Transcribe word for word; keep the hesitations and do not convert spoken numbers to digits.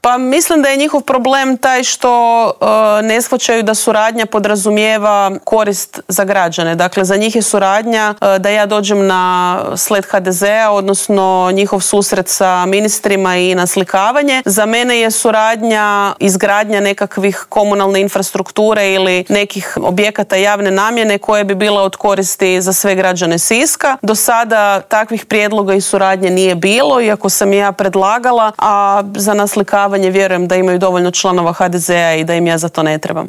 Pa mislim da je njihov problem taj što e, ne shvaćaju da suradnja podrazumijeva korist za građane. Dakle, za njih je suradnja e, da ja dođem na sled ha de zea, odnosno njihov susret sa ministrima i naslikavanje. Za mene je suradnja izgradnja nekakvih komunalne infrastrukture ili nekih objekata javne namjene koje bi bile od koristi za sve građane Siska. Do sada takvih prijedloga i suradnje nije bilo, iako sam ja predlagala, a za naslikavanje vjerujem da imaju dovoljno članova ha de zea i da im ja za to ne trebam.